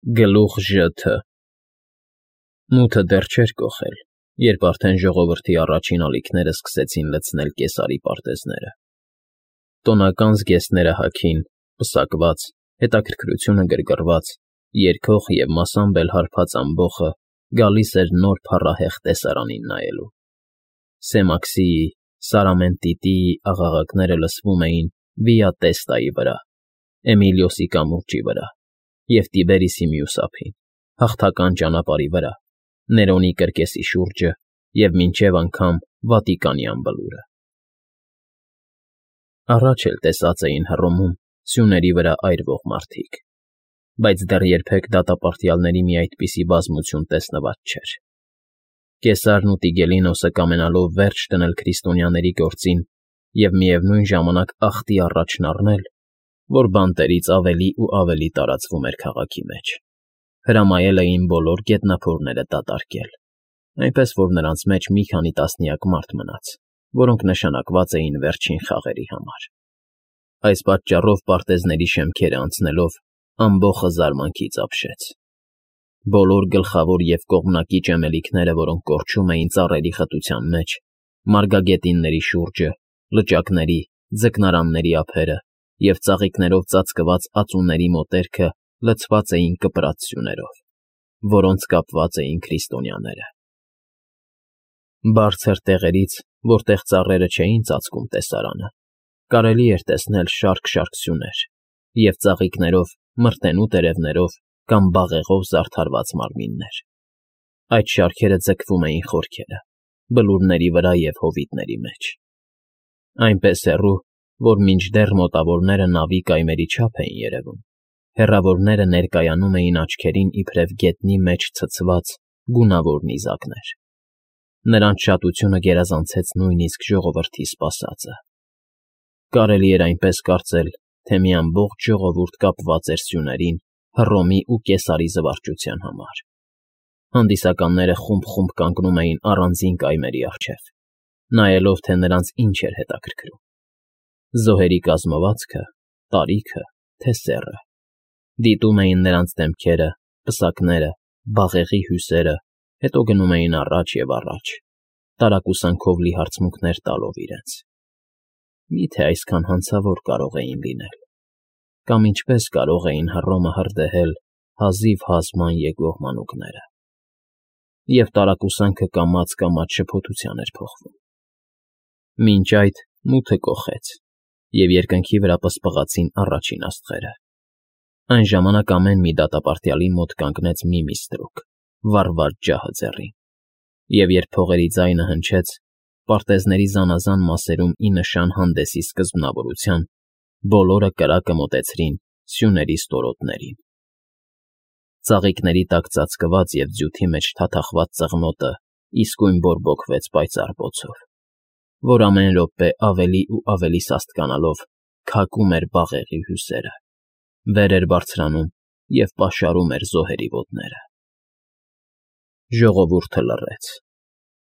Գլուխ Ժ.Թ. Մութը դեռ չէր կոխել, երբ արդեն ժողովրդի առաջին ալիքները սկսեցին լցնել կեսարի պարտեզները. տոնական զգեստները հագին, պսակված, հետաքրքրությունը գրգռված, երգող և մասամբ էլ հարբած ամբոխը գալիս էր նոր փառահեղ տեսարանին նայելու. Սեմաքսիի, Սարամենտիտիի աղաղակները լսվում էին Վիա Տեստայի վրա, Էմիլիոսի կամուրջի վրա և Տիբերիսի մյուս ափին, հաղթական ճանապարհի վրա, Ներոնի կրկեսի շուրջը և մինչև անգամ Վատիկանի անդունդը։ Առաջ էլ տեսած էին Հռոմում սյուների վրա այրվող մարդիկ, բայց դեռ երբեք դատապարտյալների մի այդպիսի բազմություն տեսնված չէր։ Կեսարն ու Տիգելինոսը կամենալով վերջ դնել քրիստոնյաների գործին և միևնույն ժամանակ ախտի առաջն առնել, որ բանտերից ավելի ու ավելի տարածվում էր քաղաքի մեջ, հրամայել էին բոլոր գետնափորները դատարկել, այնպես որ նրանց մեջ մի քանի տասնյակ մարդ մնաց, որոնք նշանակված էին վերջին խաղերի համար։ Այս պատճառով պարտեզների շեմքերը անցնելով ամբոխը զարմանքից ապշեց։ Բոլոր գլխավոր և կողմնակի ճեմելիքները, որոնք կորչում էին ծառերի խտության մեջ, մարգագետինների շուրջը, լճակների, ձկնարանների ափերը և ծաղիկներով ծածկված ածուների մոտերքը լցված էին կպրած սյուներով, որոնց կապված էին քրիստոնյաները։ Բարձր տեղերից, որտեղ ծառերը չէին ծածկում տեսարանը, կարելի էր տեսնել շարք-շարք սյուներ և ծաղիկներով, մրտենու տերևներով կամ բաղեղով զարդարված մարմիններ։ Այդ շարքերը ձգվում էին խորքերը, բլուրների վրա և հովիտների մեջ, այնպես հեռու, որ մինչդեռ մոտավորները նավի կայմերի չափ էին երևում, հեռավորները ներկայանում էին աչքերին իբրև գետնի մեջ ցցված գունավոր նիզակներ։ Նրանց շատությունը գերազանցեց նույնիսկ ժողովրդի սպասածը։ Կարելի էր այնպես կարծել, թե մի ամբողջ ժողովուրդ կապված էր սյուներին Հռոմի ու Կեսարի զվարճության համար։ Հանդիսականները խումբ-խումբ կանգնում էին առանձին կայմերի առջև, նայելով, թե նրանց ինչ էր հետաքրքրում. զոհերի կազմվածքը, տարիքը, թե սեռը, դիտում էին նրանց դեմքերը, պսակները, բաղեղի հյուսերը, հետո գնում էին առաջ և առաջ, տարակուսանքով լի հարցմունքներ տալով իրենց. Մի՞թե այսքան հանցավոր կարող էին լինել, կամ ինչպես կարող էին Հռոմը հրդեհել հազիվ հազման եկող մանուկները։ Եվ տարակուսանքը կամաց֊կամաց շփոթության էր փոխվում։ Մինչ այդ մութը կոխեց, և երկնքի վրա պսպղացին առաջին աստղերը։ Այն ժամանակ ամեն մի դատապարտյալի մոտ կանգնեց մի ստրուկ, վառված ջահը ձեռին, և երբ փողերի ձայնը հնչեց, պարտեզների զանազան մասերում ի նշան հանդեսի սկզբնավորության, բոլորը կրակը մոտեցրին սյուների ստորոտներին։ Ծաղիկների տակ ծածկված և ձյութի մեջ թաթախված ծղնոտը իսկույն բորբոքվեց պայծառ բոցով, որ ամեն րոպե ավելի ու ավելի սաստկանալով քակում էր բաղեղի հյուսերը, վեր էր բարձրանում և պաշարում էր զոհերի ոտները։ Ժողովուրդը լռեց։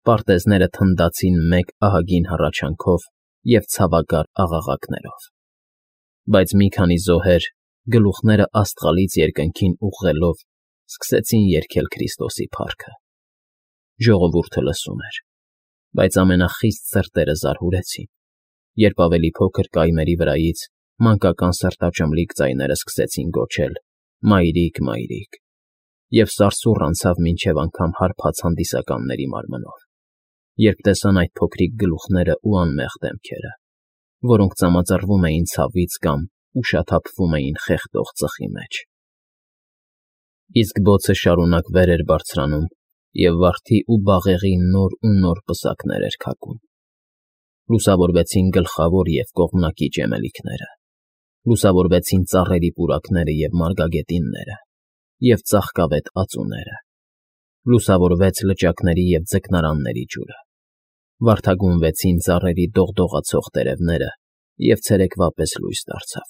Պարտեզները թնդացին մեկ ահագին հառաչանքով և ցավագար աղաղակներով։ Բայց մի քանի զոհեր, գլուխները աստղալից երկնքին ուղղելով, սկսեցին երգել Քրիստոսի փառքը։ Ժողովուրդը լսում էր, բայց ամենախիստ սրտերը զարհուրեցին, երբ ավելի փոքր կայմերի վրայից մանկական սրտաճմլիկ ձայները սկսեցին գոչել. «Մայրիկ, մայրիկ», և սարսուռ անցավ մինչև անգամ հարբած հանդիսականների մարմնով, երբ տեսան այդ փոքրիկ գլուխներն ու անմեղ դեմքերը, որոնք ծամածռվում էին ցավից կամ ուշաթափվում էին խեղդող ծխի մեջ։ Իսկ բոցը շարունակ վեր էր բարձրանում և վարդի ու բաղեղի նոր ու նոր պսակներ էր քակում։ Լուսավորվեցին գլխավոր և կողմնակի ճեմելիքները, լուսավորվեցին ծառերի պուրակները և մարգագետինները և ծաղկավետ ածուները, լուսավորվեց լճակների և ձկնարանների ջուրը, վարդագույնվեցին ծառերի դողդողացող տերևները և ցերեկվա պես լույս դարձավ։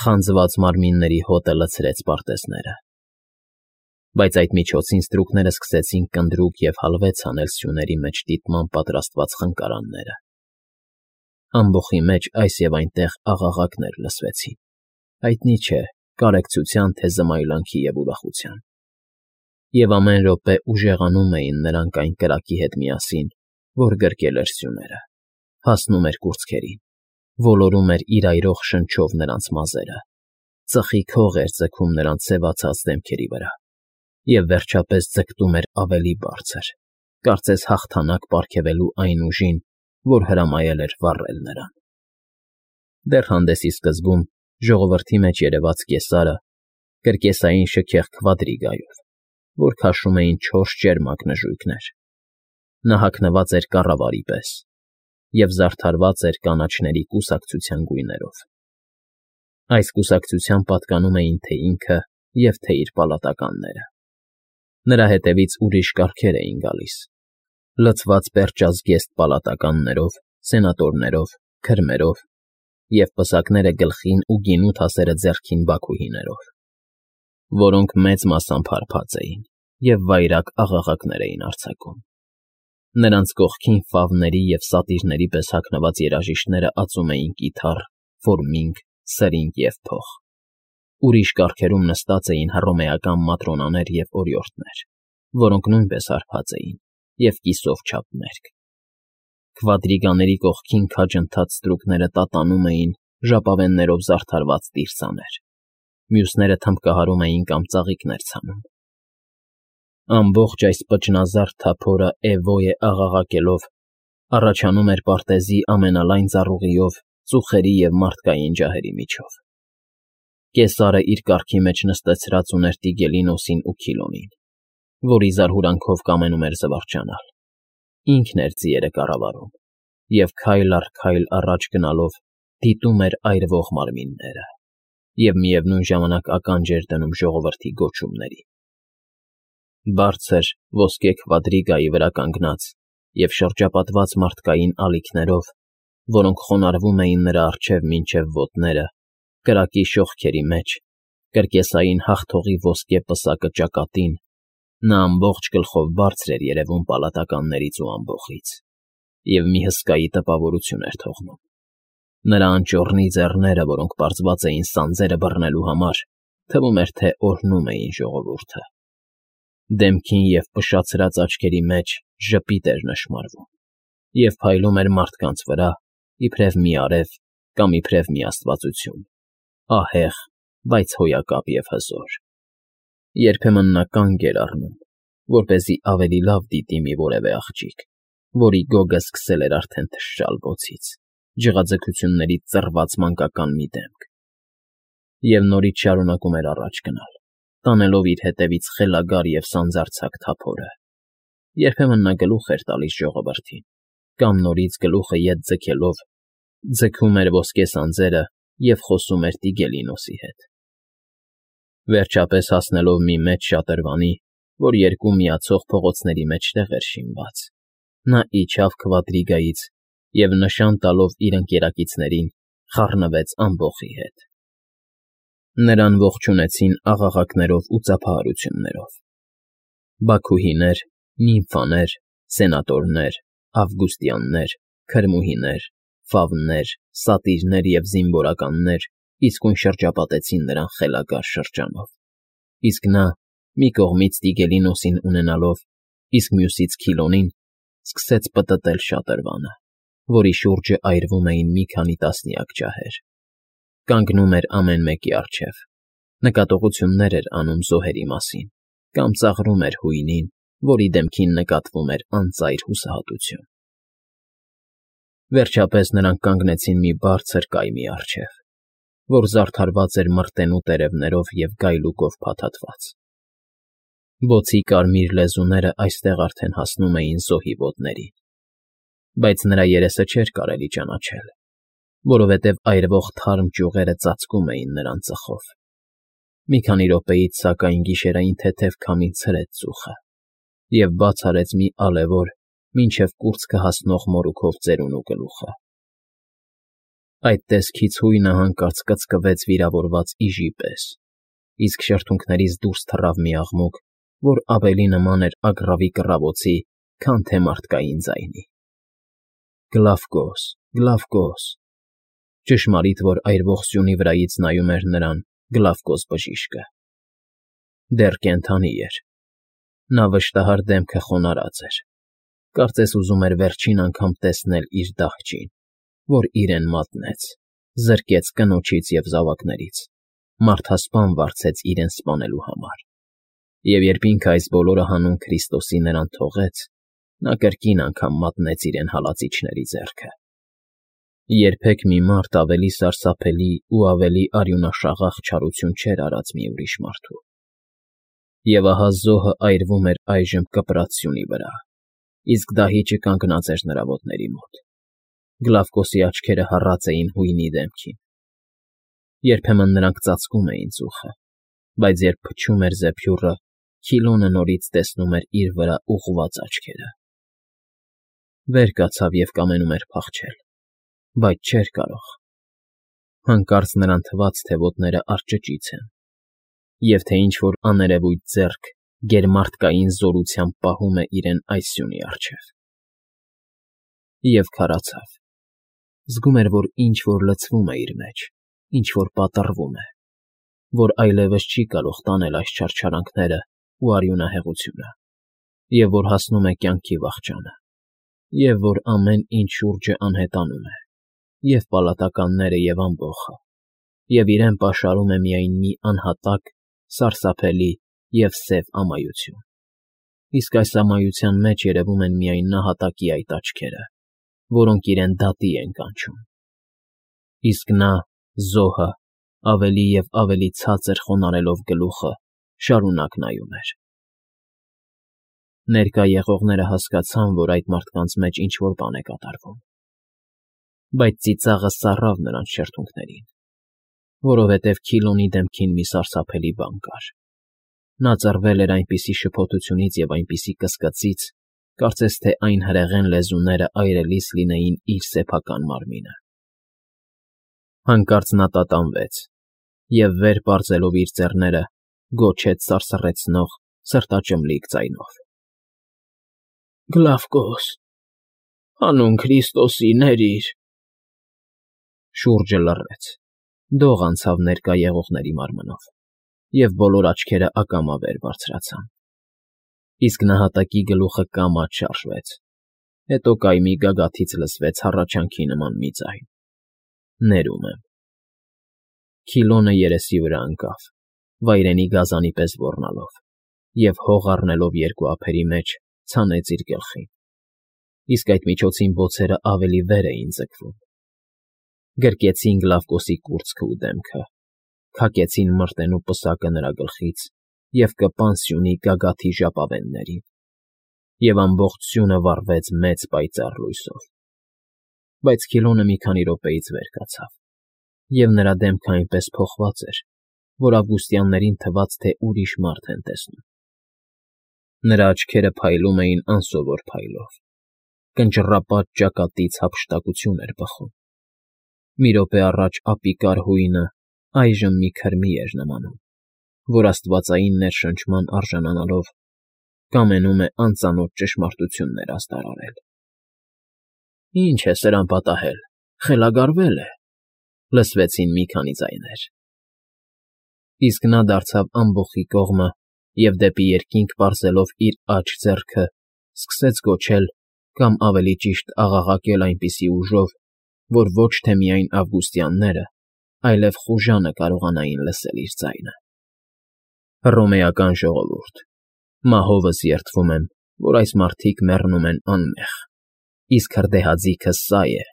Խանձված մարմինների հոտը լցրեց պարտեզները։ Բայց այդ միջոցին ստրուկները սկսեցին կնդրուկ և հալվեց հանել սյուների մեջ դիտման պատրաստված խնկարանները։ Ամբոխի մեջ այս և այնտեղ աղաղակներ լսվեցին։ Հայտնի չէ, կարեկցության, թե զմայլանքի և ուրախության։ Եվ ամեն րոպե ուժեղանում էին նրանք այն կրակի հետ միասին, որ գրկել էր սյուները, հասնում էր կուրծքերին, ոլորում էր իր այրող շնչով նրանց մազերը, ծխիկ հող էր ձգում նրանց սևացած դեմքերի վրա և, վերջապես, ձգտում էր ավելի բարձր, կարծես հաղթանակ պարգևելու այն ուժին, որ հրամայել էր վառել նրան։ Դեռ հանդեսի սկզբում ժողովրդի մեջ երևաց կեսարը, կրկեսային շքեղ քվադրիգայով, որ քաշում էին 4 ճերմակ նժույգներ։ Նա հագնված էր կառավարի պես և զարդարված էր կանաչների կուսակցության գույներով։ Այս կուսակցության պատկանում էին թե ինքը և թե իր պալատականները։ Նրա հետևից ուրիշ կարգեր էին գալիս, լցված պերճազգեստ պալատականներով, սենատորներով, քրմերով և պսակները գլխին ու գինու թասերը ձեռքին բաքուհիներով, որոնք մեծ մասամբ հարբած էին և վայրագ աղաղակներ էին արձակում։ Նրանց կողքին ֆավների և սատիրների պես հագնված երաժիշտները ածում էին կիթառ, ֆորմինգ, սրինգ և փող։ Ուրիշ կարգերում նստած էին հռոմեական մատրոնաներ և օրիորդներ, որոնք նույնպես հարբած էին և կիսով չափ մերկ։ Քվադրիգաների կողքին քաջ ընթաց ստրուկները տատանում էին ժապավեններով զարդարված տիրսաներ, մյուսները թմբկահարում էին կամ ծաղիկներ ցանում։ Ամբողջ այս պճնազարդ թափորը էվոյե աղաղակելով առաջանում էր պարտեզի ամենալայն ծառուղիով ծուխերի և մարդկային ջահերի միջով։ Կեսարը իր կառքի մեջ նստեցրած ուներ Տիգելինոսին ու Քիլոնին, որի զարհուրանքով կամենում էր զվարճանալ։ Ինքն էր ձիերը կառավարում և քայլ առ քայլ առաջ գնալով դիտում էր այրվող մարմինները և միևնույն ժամանակ ականջ էր դնում ժողովրդի գոչումներին։ Բարձր ոսկե քվադրիգայի վրա կանգնած և շրջապատված մարդկային ալիքներով, որոնք խոնարհվում էին նրա առջև մինչև ոտները, կրակի շողքերի մեջ, կրկեսային հաղթողի ոսկե պսակը ճակատին, նա ամբողջ գլխով բարձր էր երևում պալատականներից ու ամբոխից և մի հսկայի տպավորություն էր թողնում։ Նրա անճոռնի ձեռները, որոնք պարզված էին սանձերը բռնելու համար, թվում էր, թե օրհնում էին ժողովուրդը։ Դեմքին և փշացրած աչքերի մեջ ժպիտ էր նշմարվում և փայլում էր մարդկանց վրա, իբրև մի արև կամ իբրև մի աստվածություն, ահեղ, բայց հոյակապ և հզոր։ Երբեմն նա կանգ էր առնում, որպեսզի ավելի լավ դիտի մի որևէ աղջիկ, որի գոգը սկսել էր արդեն թշալ բոցից, ջղաձգություններից ծռված մանկական մի դեմք, և նորից շարունակում էր առաջ գնալ, տանելով իր հետևից խելագար և սանձարձակ թափորը։ Երբեմն նա գլուխ էր տալիս ժողովրդին կամ նորից գլուխը ետ ձգելով ձգում էր ոսկե սանձերը և խոսում էր Տիգելինոսի հետ։ Վերջապես հասնելով մի մեծ շատրվանի, որ երկու միացող փողոցների մեջտեղ էր շինված, նա իջավ քվադրիգայից և, նշան տալով իր ընկերակիցներին, խառնվեց ամբոխի հետ։ Նրան ողջունեցին աղաղակներով ու ծափահարություններով։ Բաքուհիներ, նիմֆաներ, սենատորներ, ավգուստյաններ, քրմուհիներ, ֆավներ, սատիրներ և զինվորականներ իսկույն շրջապատեցին նրան խելագար շրջանով, իսկ նա, մի կողմից Տիգելինոսին ունենալով, իսկ մյուսից Քիլոնին, սկսեց պտտել շատրվանը, որի շուրջը այրվում էին մի քանի տասնյակ ջահեր։ Կանգնում էր ամեն մեկի առջև, նկատողություններ էր անում զոհերի մասին կամ ծաղրում էր հույնին, որի դեմքին նկատվում էր անծայր հուսահատություն։ Վերջապես նրանք կանգնեցին մի բարձր կայմի առջև, որ զարդարված էր մրտենու տերևներով և գայլուկով փաթաթված։ Բոցի կարմիր լեզուները այստեղ արդեն հասնում էին զոհի ոտներին, բայց նրա երեսը չէր կարելի ճանաչել, որովհետև այրվող թարմ ճյուղերը ծածկում էին նրան ծխով։ Մի քանի րոպեից, սակայն, գիշերային թեթև քամին ցրեց ծուխը և բաց արեց մի ալևոր, մինչև կուրծքը հասնող մորուքով ծերունու գլուխը։ Այդ տեսքից հույնը հանկարծ կծկվեց վիրավորված իժի պես, իսկ շրթունքներից դուրս թռավ մի աղմուկ, որ ավելի նման էր ագռավի կռավոցի, քան թե մարդկային ձայնի։ Գլավկոս, Գլավկոս… Ճշմարիտ որ այրվող սյունի վրայից նայում էր նրան, Գլավկոս բժիշկը։ Դեռ կենդանի էր։ Նա վշտահար դեմքը խոնարհած էր։ Կարծես ուզում էր վերջին անգամ տեսնել իր դահճին, որ իրեն մատնեց, զրկեց կնոջից և զավակներից, մարդասպան վարձեց իրեն սպանելու համար։ Եվ երբ ինքը այս բոլորը հանուն Քրիստոսի նրան թողեց, նա կրկին անգամ մատնեց իրեն հալածիչների ձեռքը։ Երբեք մի մարդ ավելի սարսափելի ու ավելի արյունաշաղախ չարություն չէր արած մի ուրիշ մարդու։ Եվ ահա զոհը այրվում էր այժմ կպրած սյունի վրա, իսկ դահիճը կանգնած էր նրա ոտների մոտ։ Գլավկոսի աչքերը հառած էին հույնի դեմքին։ Երբեմն նրանք ծածկում էին ծուխը, բայց երբ փչում էր զեփյուռը, Քիլոնը նորից տեսնում էր իր վրա ուղղված աչքերը։ Վեր կացավ և կամենում էր փախչել, բայց չէր կարող։ Հանկարծ նրան թվաց, թե ոտները արճճից են, և թե ինչ-որ աներևույթ ձեռք գերմարդկային զորությամբ պահում է իրեն այս սյունի առջև։ Եվ քարացավ։ Զգում էր, որ ինչ֊որ լցվում է իր մեջ, ինչ֊որ պատռվում է, որ այլևս չի կարող տանել այս չարչարանքները ու արյունահեղությունը, և որ հասնում է կյանքի վախճանը, և որ ամեն ինչ շուրջը անհետանում է, և պալատականները, և ամբոխը, և իրեն պաշարում է միայն մի անհատակ, սարսափելի և սև ամայություն, իսկ այս ամայության մեջ երևում են միայն նահատակի այդ աչքերը, որոնք իրեն դատի են կանչում։ Իսկ նա, զոհը, ավելի և ավելի ցածր խոնարհելով գլուխը, շարունակ նայում էր։ Ներկա եղողները հասկացան, որ այդ մարդկանց մեջ ինչ֊որ բան է կատարվում, բայց ծիծաղը սառավ նրանց շրթունքներին, որովհետև Քիլոնի դեմքին մի սարսափելի բան կար։ Նա ծռվել էր այնպիսի շփոթությունից և այնպիսի կսկծից, կարծես թե այն հրեղեն լեզուները այրելիս լինեին իր սեփական մարմինը։ Հանկարծ նա տատանվեց և, վեր պարզելով իր ձեռները, գոչեց սարսռեցնող, սրտաճմլիկ ձայնով. «Գլավկոս, հանուն Քրիստոսի, ների՛ր»։ Շուրջը լռեց, դող անցավ ներկա եղողների մարմնով, և բոլոր աչքերը ակամա վեր բարձրացան։ Իսկ նահատակի գլուխը կամաց շարժվեց, հետո կայմի գագաթից լսվեց հառաչանքի նման մի ձայն. «Ներում եմ»։ Քիլոնը երեսի վրա ընկավ, վայրենի գազանի պես ոռնալով, և հող առնելով երկու ափերի մեջ, ցանեց իր գլխին, իսկ այդ միջոցին բոցերը ավելի վեր էին ձգվում։ Գրկեցին Գլավկոսի կուրծքն ու դեմքը, քակեցին մրտեն ու պսակը նրա գլխից և կպան սյունի գագաթի ժապավեններին, և ամբողջ սյունը վառվեց մեծ պայծառ լույսով։ Բայց Քիլոնը մի քանի րոպեից վեր կացավ, և նրա դեմքը այնպես փոխված էր, որ ավգուստյաններին թվաց, թե ուրիշ մարդ են տեսնում։ Նրա աչքերը փայլում էին անսովոր փայլով, կնճռապատ ճակատից հափշտակություն էր բխում։ Մի րոպե առաջ ապիկար հույնը այժմ մի քրմի էր նմանում, որ աստվածային ներշնչման արժանանալով կամենում է անծանոթ ճշմարտություններ ազդարարել։ «Ի՞նչ է սրան պատահել, խելագարվել է», լսվեցին մի քանի ձայներ։ Իսկ նա դարձավ ամբոխի կողմը և դեպի երկինք պարզելով իր աջ ձեռքը սկսեց գոչել կամ ավելի ճիշտ աղաղակել այնպիսի ուժով, որ ոչ թե միայն ավգուստյանները, այլև խուժանը կարողանային լսել իր ձայնը. «Հռոմեական ժողովուրդ, մահովս երդվում եմ, որ այս մարդիկ մեռնում են անմեղ, իսկ հրդեհաձիգը սա է»,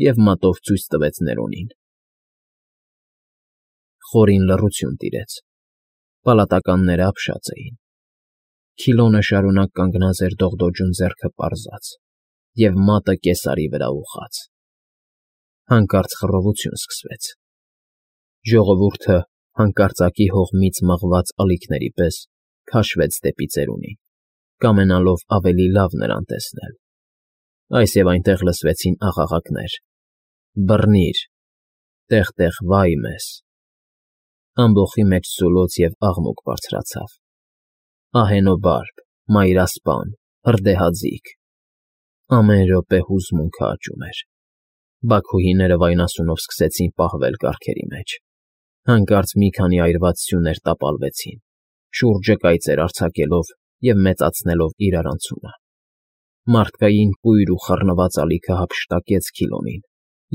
և մատով ցույց տվեց Ներոնին։ Խորին լռություն տիրեց։ Պալատականները ապշած էին։ Քիլոնը շարունակ կանգնած էր դողդոջուն ձեռքը պարզած և մատը կեսարի վրա ուղղած։ Հանկարծ խռովություն սկսվեց։ Ժողովուրդը, հանկարծակի հողմից մղված ալիքների պես, քաշվեց դեպի ծերունին, կամենալով ավելի լավ նրան տեսնել։ Այս և այնտեղ լսվեցին աղաղակներ. «Բռնի՛ր», «Տեղ֊տեղ, վա՜յ մեզ»։ Ամբոխի մեջ սուլոց և աղմուկ բարձրացավ։ Ահենոբարբ, մայրասպան, հրդեհաձիգ… Ամեն րոպե հուզմունքը աճում էր։ Բաքուհիները վայնասունով սկսեցին պահվել կառքերի մեջ։ Հանկարծ մի քանի այրված սյուներ տապալվեցին, շուրջը կայծեր արձակելով և մեծացնելով իրարանցումը։ Մարդկային կույր ու խռնված ալիքը հափշտակեց Քիլոնին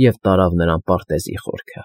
և տարավ նրան պարտեզի խորքը։